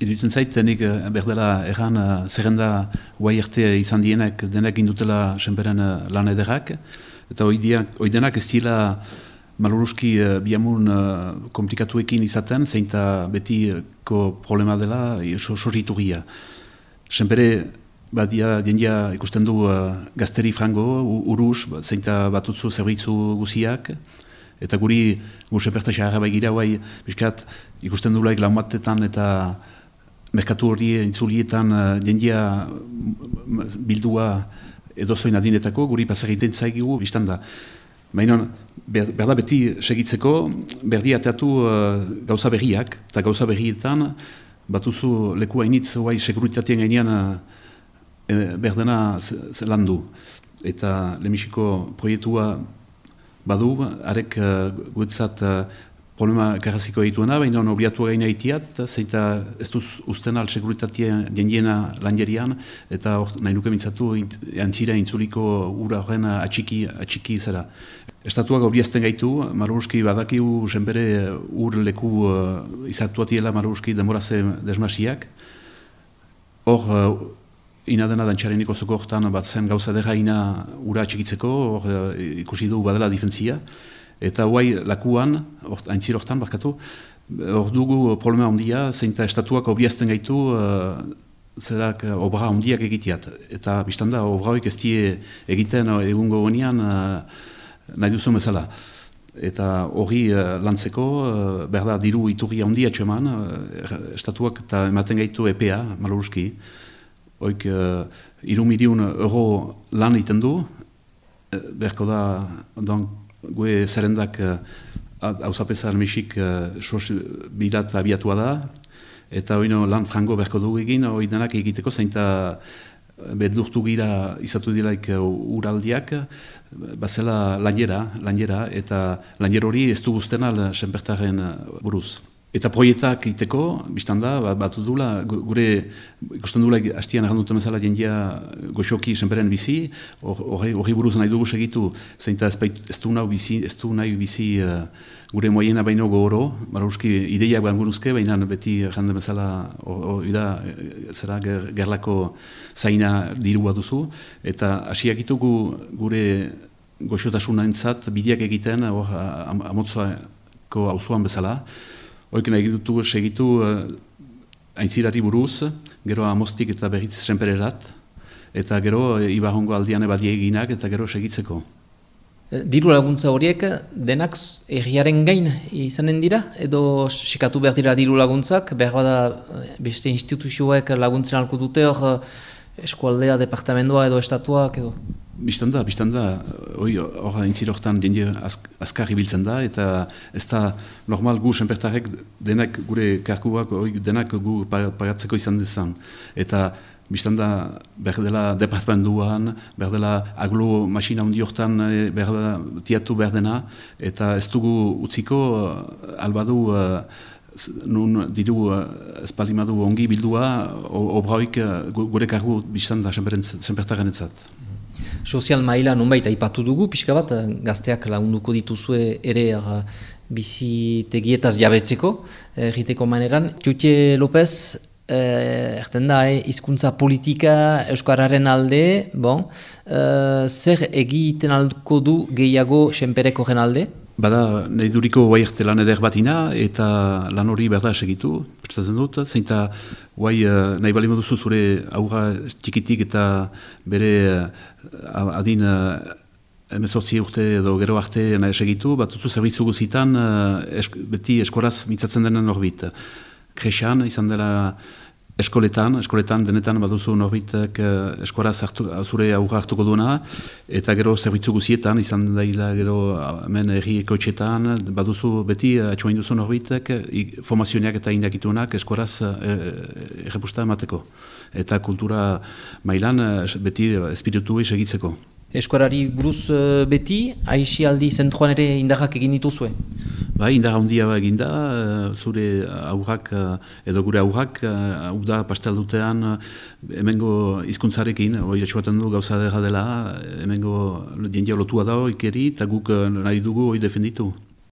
Iruditzen zait, denik berdela erran zerrenda guai arte izan dienak denak indutela senperen lan ederrak, eta hoi denak ez dira maluruski biamun komplikatuekin izaten, zeinta betiko problema dela sorritugia. Senpere badia jendia ikusten du gazteri frango, urus, zeinta batutzu zerbitzu guziak, eta guri senperta xarra baigira guai, biskat ikusten du laik laumatetan eta merkatu hori intzulietan jendia bildua edozoin adinetako, guri pasagiten zaigigu, biztan da. Baina, berda beti segitzeko, berdi ateatu gauza berriak, eta gauza berrietan batuzu leku hainitz guai seguritatien gainean berdena landu. Eta lehenbiziko proiektua badu, arek guetzat problema karraziko egituena, baina obliatu gaina itiat, zeita ez duz usten al seguritatien jendiena lanjerian, eta nahi nuke mintzatu antzira intzuliko ura horren atxiki zera. Estatuak obliazten gaitu, Maruruski badakiu senpere ur leku izatuatiela Maruruski denboraze desmasiak. Hor, ina dena dantxareniko zoko hortan bat zen gauza dera ina ura atxikitzeko, hor ikusi du badela difentzia. Eta guai lakuan, aintzir hortan, barkatu, hor dugu problema ondia, zeinta estatuak obliazten gaitu zerak obra ondiak egiteat. Eta biztanda, obra hoik ez die egiten egungo honean nahi duzu bezala. Eta hori lantzeko, berda diru iturria ondia txeman, estatuak eta ematen gaitu EPA, Maluruski, hoik 3 milion euro lan egiten du, berko da, gue zerrendak hauzapeza almexik bilat abiatua da, eta hori lan frango berko dugu egin, hori denak egiteko zeinta bedurtu gira izatu dilaik uraldiak, bazela lanjera, eta lanjer hori ez du guzten al senpertaren buruz. Eta proietak egiteko, biztan da, batu dula, gure ikusten dula hastian erranduten bezala jendia goxoki senperen bizi, hori buruz nahi dugu segitu, zeinta ez du nahi bizi gure moiena baino gogoro, Maruruski ideiak ban buruzke, baina beti erranden bezala zera gerlako zaina dirua duzu, eta hasiak ditugu gure goxotasuna entzat bideak egiten, amotzako auzoan bezala, hoik nahi dutu segitu aintzirari buruz, gero amostik eta berriz senpererat, eta gero ibarrongo aldian ebadie eginak eta gero segitzeko. Diru laguntza horiek denak erriaren gain izanen dira? Edo sekatu behar dira diru laguntzak? Behar bada beste instituzioek laguntzen alko dute hor eskualdea, departamentoa edo estatuak edo? Biztan da, hor aintzirortan jende azkar ibiltzen da, eta ez da normal gu senpertarek denak gure karkuak denak gu pagatzeko izan dezan. Eta biztan da behar dela departamentuan, behar dela aglo masina hundi hortan behar dela tiatu behar dena, eta ez dugu utziko albadu nun diru espalimadu ongi bildua, obraoik gure kargu biztan da senpertaren etzat. Sozial maila nonbait aipatu dugu, pixka bat, gazteak lagunduko dituzue ere bizitegietaz jabetzeko, egiteko maneran. Txutxe López, erten da, hizkuntza politika euskararen alde, zer egiten alko du gehiago senpereko gen alde? Bada, nahi duriko guai arte lan eder batina, eta lan hori berda segitu, prestatzen dut, zeinta guai nahi bali moduzu zure aurra txikitik eta bere adin 18 urte edo gero arte nahi segitu, batuzu zerbitzu guzitan beti eskoraz mitzatzen denen norbit. Kresan izan dela eskoletan denetan baduzu norbitek eskoraz zure aurra hartuko duena, eta gero zerbitzu guzietan izan daila gero hemen herri ekotxetan, baduzu beti atxuain duzu norbitek formazioak eta indakituenak eskoraz errepusta emateko. Eta kultura mailan beti espiritu segitzeko. Eskorari buruz beti, aisialdi zentroan ere indarrak egin dituzue? Bai, indarra handia eginda, zure aurrak edo gure aurrak, da pastel dutean hemengo hizkuntzarekin, hori atxuaten du gauza dela, hemengo jendia lotua da ikeri, eta guk nahi dugu hori defenditu.